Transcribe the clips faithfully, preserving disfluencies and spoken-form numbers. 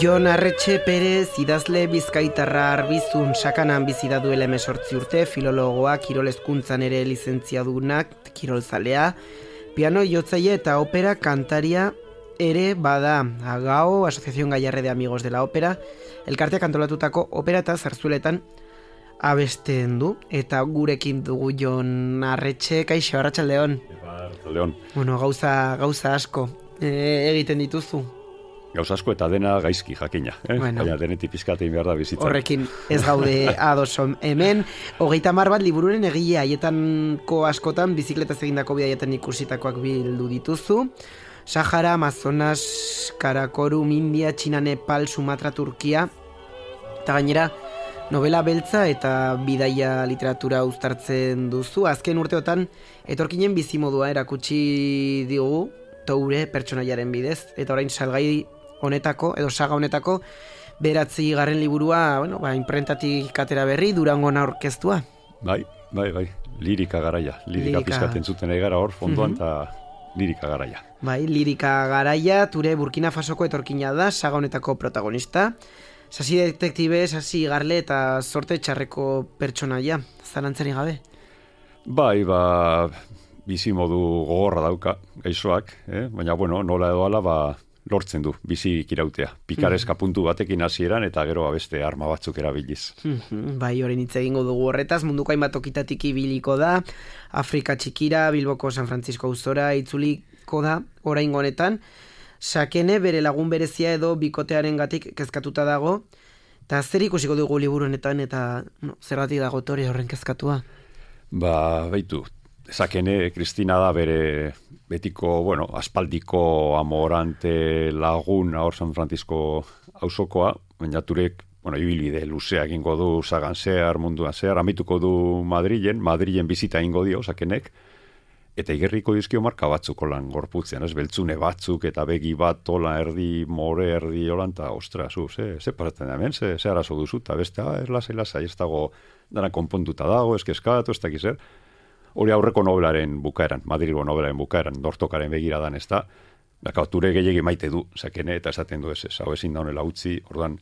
Jon Arretxe Perez, idazle bizkaitarra arbizun sakanan bizi da duela hemezortzi urte, filologoa, kirol hezkuntzan ere lizentziadunak, kirolzalea, piano jotzaile eta opera kantaria ere bada. Agao, Asociación Gallarre de Amigos de la Ópera, elkarteak antolatutako opera eta zarzueletan abesten du, eta gurekin dugu Jon Arretxe. Kaixo, arratsaldeon. Arratsaldeon. Bueno, gauza, gauza asko e, egiten dituzu. Gauza asko eta dena gaizki jakina, eh? Bueno. Baina denetik pizkatein behar da bizitza. Horrekin ez gaude adoson. Hemen, hogeita hamar bat libururen egile haietanko askotan, bizikletaz egindako bidaietan ikusitakoak bildu dituzu. Sahara, Amazonas, Karakorum, India, Txina, Nepal, Sumatra, Turkia, eta gainera, novela beltza eta bidaia literatura uztartzen duzu. Azken urteotan, etorkinen bizimodua erakutsi digu, Toure pertsonaiaren bidez, eta orain salgai honetako, edo saga honetako, beratzi garren liburua, bueno, ba, imprentatik atera berri, Durangon aurkeztua. Bai, bai, bai, lirika garaia, lirika, lirika. Pizkaten zuten egara hor, fondoan, eta uh-huh. lirika garaia. Bai, lirika garaia, Ture Burkina Fasoko etorkina da, saga honetako protagonista, sasi detektibe, sasi garle eta sorte txarreko pertsonaia, zalantzari gabe. Bai, ba, bizimodu gogorra dauka, gaixoak, eh? Baina, bueno, nola edo ala, ba, lortzen du, bizi kirautea. Pikareska puntu batekin hasieran eta gero beste arma batzuk erabiliz. Bai, orain hitz egingo dugu horretaz, munduko hainbat tokitatik ibiliko da, Afrika txikira, Bilboko San Francisco auzora itzuliko da, oraingo honetan, Sakene bere lagun berezia edo bikotearen gatik kezkatuta dago, eta zer ikusiko dugu liburu honetan, eta no, zergatik dago Tore horren kezkatua? Ba, baitu, Sakene, Kristina da bere betiko, bueno, aspaldiko amorante lagun hor San Francisco auzokoa, baina Turek, bueno, ibilbide luzea egingo du sagan zehar, munduan zehar, amaituko du Madrilen, Madrilen bizita egingo dio Sakenek, eta igerriko dizkio marka batzuk olan gorputzean, ez, beltzune batzuk, eta begi bat ola erdi, more erdi olan, eta ostra, zu, ze, ze paratzen da hemen, ze, ze arazo duzu, eta beste, ah, erlasai, lasai, ez dago, dana konpontuta dago, eskeskatu, ez dakiz zer. Hori aurreko nobelaren bukaeran, Madrilgo nobelaren bukaeran, dortokaren begiradan ez da, daka, Ture gehiagi maite du, Sakene, eta esaten du ez, ez, hau ezin da honela utzi, orduan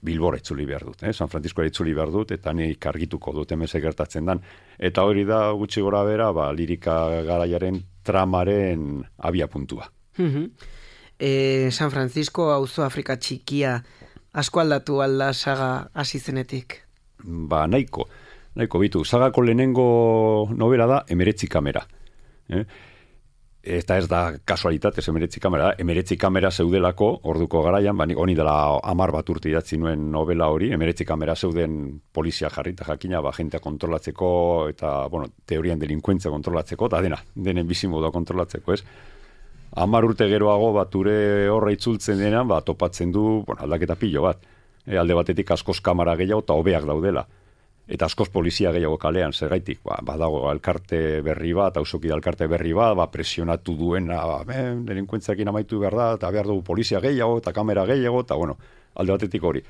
Bilbora itzuli behar dut, eh? San Franciscoa itzuli behar dut, eta nik argituko dut hemen gertatzen dan. Eta hori da gutxi gora bera, ba, lirika garaiaren tramaren abia puntua. e, San Francisco auzo Afrika txikia, asko aldatu alda saga hasi zenetik? Ba, nahiko. Nahiko bitu, sagako lehenengo novela da Emeretzi kamera. Eh? Eta ez da kasualitatez Emeretzi kamera da, Emeretzi kamera zeudelako orduko garaian, ba, honi dela hamar bat urte idatzi nuen novela hori, Emeretzi kamera zeuden polizia jarrita jakina, ba, jentea kontrolatzeko, eta, bueno, teorian delinkuentzia kontrolatzeko, eta dena, denen bizimodua kontrolatzeko, ez? Hamar urte geroago, bat ure horra itzultzen denean, ba, topatzen du, bueno, aldaketa pilo bat. E, alde batetik askoz kamera gehiago eta hobeak daudela. Eta askoz polizia gehiago kalean, zergaitik, ba, badago alkarte berri bat, auzoki da alkarte berri bat, ba, presionatu duena, ba, delinkuentziakin amaitu behar da, eta behar dugu polizia gehiago, eta kamera gehiago, eta bueno, alde batetik hori.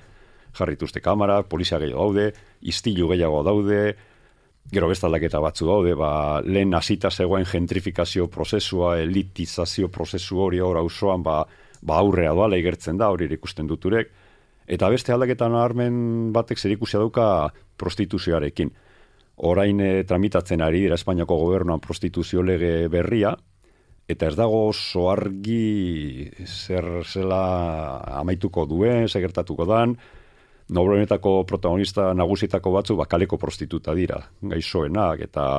Jarrituzte kamera, polizia gehiago daude, istilu gehiago daude, gero beste aldaketa batzu daude, ba, lehen hasita zegoen gentrifikazio prozesua, elitizazio prozesu hori hor auzoan, ba, ba aurrea doala igertzen da, hori ikusten duturek. Eta beste aldaketan nabarmen batek zerikusia dauka prostituzioarekin. Orain e, tramitatzen ari dira Espainiako gobernuan prostituzio lege berria, eta ez dago oso argi zer zela amaituko duen, zer gertatuko dan, nobelenetako protagonista nagusitako batzu bakaleko prostituta dira, gaixoenak, eta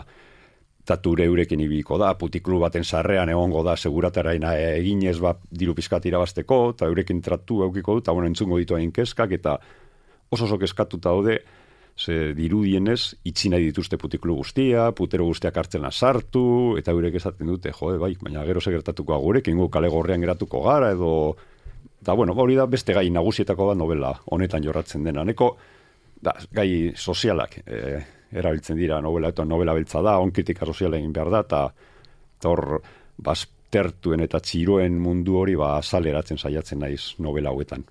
eta Ture eurekin ibiliko da, putiklu baten sarrean egongo da, segurataraina eginez ba, diru pizkat irabazteko, eta eurekin tratu eukiko du, eta bueno, entzungo ditu hain keskak, eta oso oso keskatuta daude, ze dirudienez, itxi nahi dituzte putiklu guztia, putero guztiak hartzena sartu, eta eurek esaten dute, jode, bai, baina gero segertatuko agurekin, gu kale gorrean geratuko gara, edo, eta bueno, hori da beste gai nagusietako bat novela honetan jorratzen dena, neko, da, gai sozialak, e, erabiltzen dira novela, eta novela beltza da, onkritika soziala egin behar da, eta hor baztertuen eta txiroen mundu hori ba azaleratzen saiatzen naiz novela hauetan.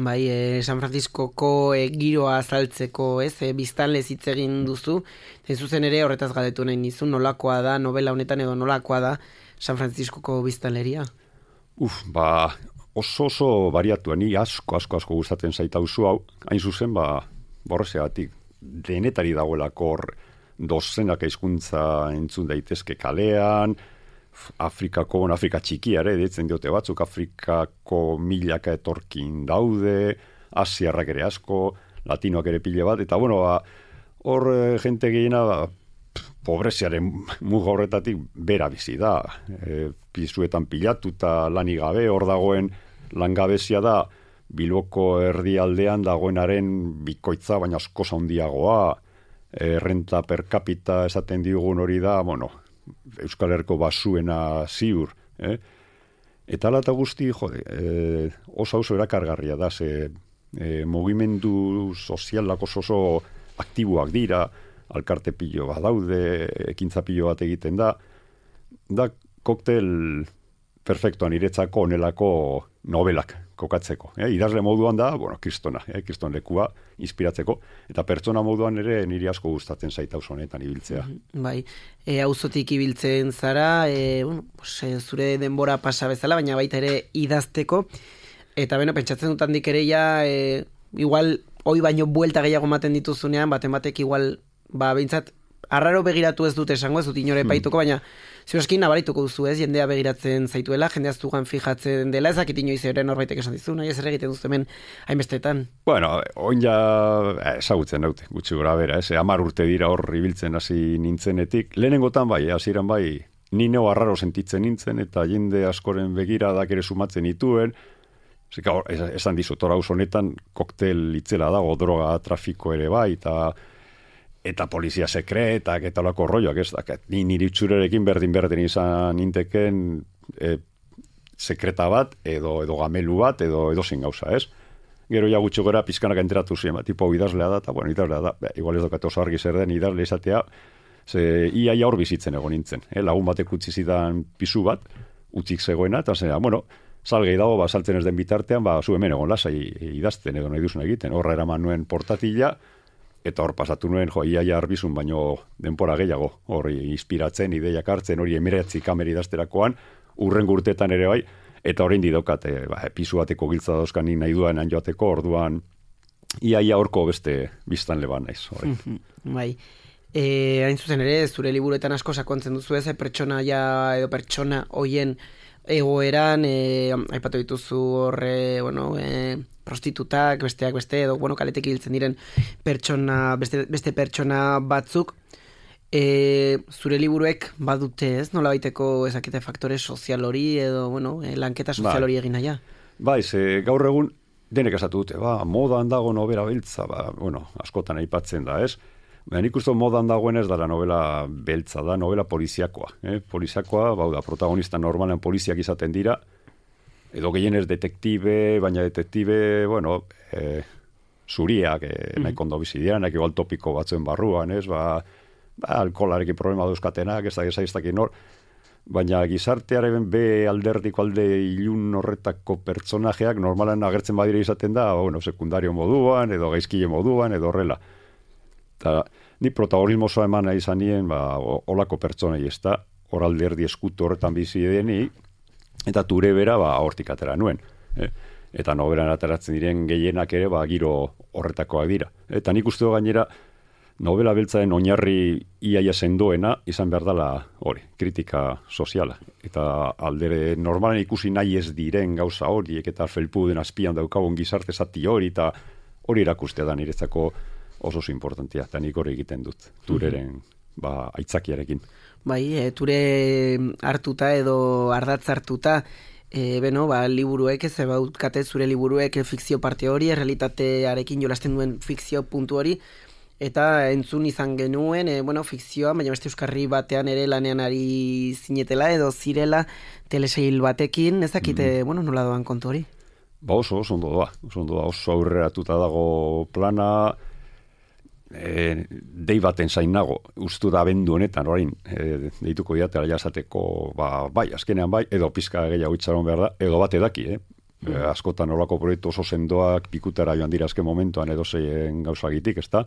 Bai, e, San Franciscoko e, giroa azaltzeko, ez, e, biztanlez hitz egin duzu, ez zuzen ere horretaz galdetu nahi nizu, nolakoa da novela honetan edo nolakoa da San Franciscoko biztanleria? Uf, ba, oso oso bariatua, ni asko, asko, asko gustatzen zaita auzo hau, hain zuzen, ba, borrezeatik, denetari dagoelako hor, dozenak hizkuntza entzun daitezke kalean, Afrikako, bon, Afrika txikiare, ditzen diote batzuk, Afrikako milaka etorkin daude, Asiarrak ere asko, Latinoak ere pile bat, eta bueno, ba, hor e, jente gehiena, ba, pobreziaren muga horretatik bera bizi da. E, pisuetan pilatuta lanik gabe, hor dagoen langabezia da, Bilboko erdialdean dagoenaren bikoitza, baina asko handiagoa, e, renta per capita esaten digun hori da, bueno, Euskal Herriko basuena ziur, eh? Eta ala eta guzti, jode, e, oso oso erakargarria da, ze e, mugimendu sozialak oso oso aktiboak dira, alkarte pilo bat daude, ekintza pilo bat egiten da, da koktel perfektuan iretzako onelako novelak kokatzeko. Eh? Idazle moduan da, bueno, kristona, eh? kriston lekua inspiratzeko, eta pertsona moduan ere niri asko gustatzen zaita oso honetan ibiltzea. Bai, e, auzotik ibiltzen zara, e, bueno, pues, e, zure denbora pasa bezala, baina baita ere idazteko, eta beno, pentsatzen dut handik ere ja, e, igual, hoi baino buelta gehiago maten dituzunean, baten batek igual, ba, behintzat, arraro begiratu ez dut esango, ez dut inore epaituko, baina ziuraskin nabarituko duzu ez, jendea begiratzen zaituela, jendea zugan fijatzen dela, ezakit inoiz ere norbaitek esan dizu, nahi ez ere egiten duzu hemen hainbestetan. Bueno, oin ja ezagutzen daute, gutxi gora bera, ez, amar urte dira hor ibiltzen hasi nintzenetik, lehenengotan bai, hasieran bai, ni neo arraro sentitzen nintzen, eta jende askoren begiradak ere sumatzen dituen, zika, esan dizut, hor haus honetan koktel itzela dago, droga trafiko ere bai, eta eta polizia sekretak, eta olako rolloak, ez da, ni niri utxurerekin berdin-berdin izan ninteken e, sekreta bat, edo edo gamelu bat, edo edo zin gauza, ez? Gero ja gutxo gora pizkanak enteratu ziren, ba, tipo idazlea da, eta bueno, idazlea da, ba, igual ez dokat oso argi zer den idazle izatea, ze iaia hor bizitzen egon nintzen, eh? Lagun batek utzi zidan pisu bat, utzik zegoena, eta zera, bueno, salgei dago, ba, saltzen ez den bitartean, ba, zu hemen egon lasai idazten, edo nahi duzun egiten, horra eraman nuen portatila, eta hor pasatu nuen, jo, iaia arbizun, baino denpora gehiago, hori inspiratzen, ideiak hartzen, hori emiratzi kameri idazterakoan, urren gurtetan ere bai, eta orain didokat, e, ba, pisu bateko giltza dauzkan ni nahi duan joateko, orduan, iaia horko beste biztan leban naiz. Bai, e, hain zuzen ere, zure liburuetan asko sakontzen duzu ez, pertsona ja, edo pertsona hoien egoeran, e, aipatu dituzu horre, bueno, e, prostitutak, besteak beste, edo, bueno, kaletek ibiltzen diren pertsona, beste, beste pertsona batzuk, e, zure liburuek badute ez, nola baiteko ezakite faktore sozial hori, edo, bueno, e, lanketa sozial hori egin naia. Bai, ze gaur egun denek esatu dute, ba, modan dago nobela beltza, ba, bueno, askotan aipatzen da, ez? Baina nik uste modan dagoen ez dara novela beltza, da novela poliziakoa. Eh? Poliziakoa, bau da, protagonista normalen poliziak izaten dira, edo gehienez detektibe, baina detektibe, bueno, eh, zuriak, eh, nahi kondo bizidian, nahi igual topiko batzuen barruan, ez, ba, ba alkolarekin problema dauzkatenak, ez da gezaiztakin hor, baina gizartearen be alderdiko alde ilun horretako pertsonajeak normalan agertzen badire izaten da, bueno, sekundario moduan, edo gaizkile moduan, edo horrela. Eta ni protagonismo zoa eman nahi izan nien, ba, olako pertsonei ez da, hor alderdi eskutu horretan bizi deni, eta ture bera, ba, hortik atera nuen. Eh? Eta nobelan ateratzen diren gehienak ere, ba, giro horretakoak dira. Eta nik uste gainera, novela beltzaren oinarri iaia sendoena, izan behar dela hori, kritika soziala. Eta aldere normalen ikusi nahi ez diren gauza horiek, eta felpuden azpian daukagun gizarte zati hori, eta hori erakustea da niretzako oso importantia, eta nik hori egiten dut, tureren ba, aitzakiarekin. Bai, e, ture hartuta edo ardatz hartuta, e, beno, ba, liburuek, ez bautkate zure liburuek fikzio parte hori, errealitatearekin jolasten duen fikzio puntu hori, eta entzun izan genuen, e, bueno, fikzioa, baina beste euskarri batean ere lanean ari zinetela, edo zirela telesail batekin, ez dakite, mm. bueno, nola doan kontu hori? Ba oso, oso ondo doa, oso ondo doa, oso aurreratuta dago plana, E, dei baten zain nago, ustu da bendu honetan, orain, e, deituko diatela jasateko, ba, bai, azkenean bai, edo pizka gehiago itxaron behar da, edo bat edaki, eh? Mm. E, askotan olako proiektu oso sendoak pikutara joan dira azken momentuan edo zeien gauzagitik, ez da?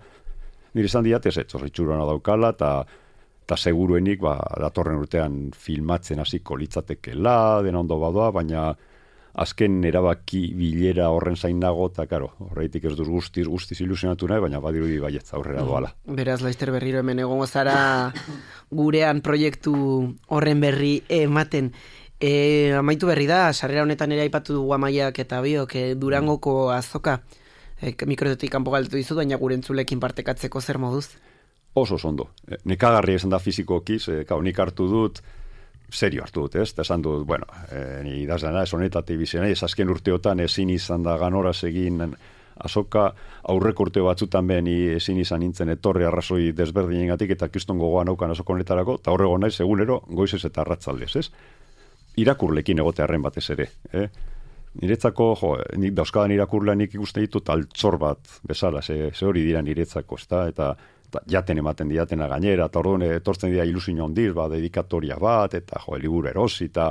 Nire izan diatez, ez, oso itxurana daukala, eta ta seguruenik, ba, datorren urtean filmatzen hasiko litzatekela, dena ondo badoa, baina azken erabaki bilera horren zain nago, eta karo, horreitik ez duz guztiz, guztiz ilusionatu nahi, baina badirudi baietz aurrera doala. Beraz, Laster berriro hemen egongo zara gurean proiektu horren berri ematen. E, amaitu berri da, sarrera honetan ere aipatu dugu Amaiak eta biok, e, Durangoko azoka, e, mikroetik kanpo galdetu dizut, baina gure entzulekin partekatzeko zer moduz? Oso ondo. E, nekagarri esan da fizikokiz, e, kau, nik hartu dut, serio hartu dut, ez? Eta esan dut, bueno, e, ni idazlana, ez honetatik bizena, ez azken urteotan ezin izan da ganoraz egin azoka, aurreko urteo batzutan ben ezin izan nintzen etorri arrazoi desberdinengatik eta kiston gogoan aukan azoko honetarako, eta horrego naiz egunero goizez eta arratzaldez, ez? Irakurlekin egotearren batez ere, eh? Niretzako, jo, nik dauzkadan irakurlean nik ikusten ditut altzor bat bezala, ze, ze hori dira niretzako, ezta? Eta eta jaten ematen diatena gainera, eta orduan etortzen dira ilusio hondiz, ba, dedikatoria bat, eta jo, liburu erosi, eta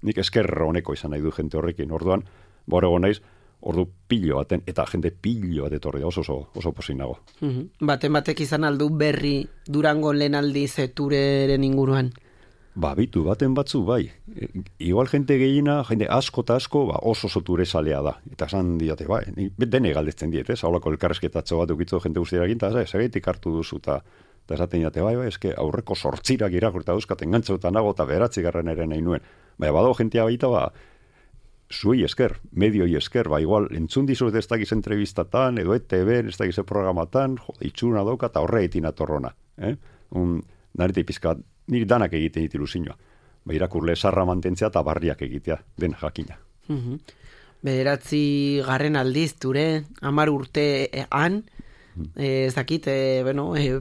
nik esker honeko izan nahi du jente horrekin, orduan, borrego naiz, ordu pilo baten, eta jente pilo bat etorri oso, oso, oso posin nago. Mm-hmm. Baten batek izan aldu berri Durango lehen aldiz tureren inguruan? Ba, bitu, baten batzu, bai. E, igual jente gehiena, jente asko eta asko, ba, oso oso ture salea da. Eta esan diate, bai, dene galdetzen diet, ez? Haulako elkarrezketatxo bat ukitzu jente guztiarekin, eta zagaitik hartu duzu, eta esaten diate, bai, bai, eske aurreko sortzirak irakurta dauzkaten gantzotan nago, eta beratzi garren ere nahi nuen. Baina, badago jentea baita, ba, zuei esker, medioi esker, ba, igual, entzun dizut ez dakiz entrevistatan, edo E T V, ez dakiz programatan, jo, itxuna dauka, eta horre etin atorrona. Eh? Un, narete pizka, niri danak egiten ditu ilusioa. Ba, irakurle sarra mantentzea eta barriak egitea, den jakina. Mm-hmm. Bederatzi garren aldiz, ture, amar urtean, mm. eh, ez dakit, eh, bueno, eh,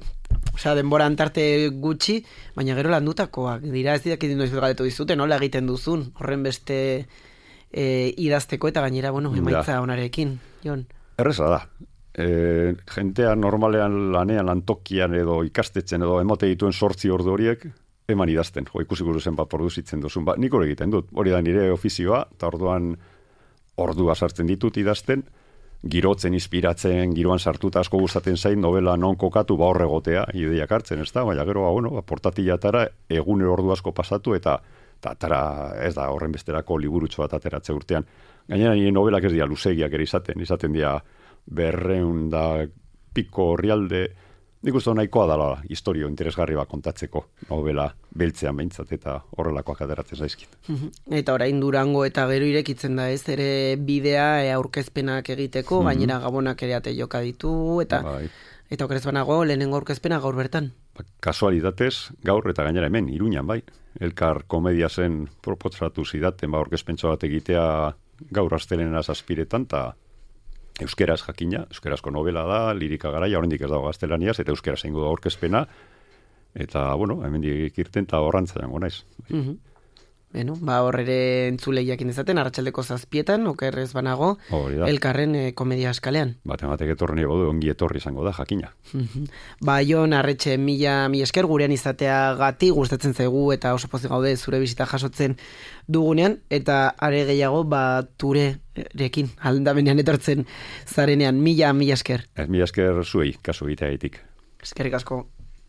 osea, denbora antarte gutxi, baina gero landutakoak, dira ez didakit noiz galdetu dizute, nola egiten duzun, horren beste eh, idazteko eta gainera, bueno, emaitza onarekin, Jon. Erreza da. E, jentea normalean lanean lantokian edo ikastetzen edo emate dituen sortzi ordu horiek eman idazten, jo, ikusiko zen bat produzitzen duzun, ba, nik hori egiten dut, hori da nire ofizioa, eta orduan ordua sartzen ditut idazten, girotzen, inspiratzen, giroan sartuta asko gustatzen zain, novela non kokatu ba horregotea, ideiak hartzen, ez da, baina gero, ba, bueno, ba, portatilatara egunero ordu asko pasatu, eta eta atara, ez da, horren besterako liburutxo bat ateratze urtean. Gainera, nire novelak ez dira luzegiak ere izaten, izaten dira berreun da piko orrialde, nik uste nahikoa dela historio interesgarri bat kontatzeko novela beltzean behintzat eta horrelakoak ateratzen zaizkit. Eta orain Durango eta gero irekitzen da ez, ere bidea e, aurkezpenak egiteko, mm-hmm. gainera gabonak ere ate joka ditu, eta bai. Eta okerez banago, lehenengo aurkezpena gaur bertan. Ba, kasualitatez, gaur eta gainera hemen, Iruñan bai. Elkar komedia zen propotzatu zidaten, ba, aurkezpentso bat egitea gaur astelena zazpiretan, eta euskeraz jakina, euskerazko novela da, lirika garaia, oraindik ez dago gaztelaniaz, eta euskera zeingo da aurkezpena, eta, bueno, hemendik irten eta horrantza jango naiz. Mm-hmm. Bueno, ba horrere entzulei jakin dezaten, arratsaldeko zazpietan, okerrez banago, elkarren e, komedia eskalean. Baten batek etorri nahi bodu, ongi etorri izango da, jakina. Mm-hmm. Ba, Jon, Arretxe, mila, mila esker gurean izatea gati, gustatzen zaigu, eta oso pozik gaude zure bisita jasotzen dugunean, eta are gehiago, ba, turerekin, aldamenean etortzen zarenean, mila, mila esker. Ez mila esker zuei, kasu egiteagatik. Eskerrik asko.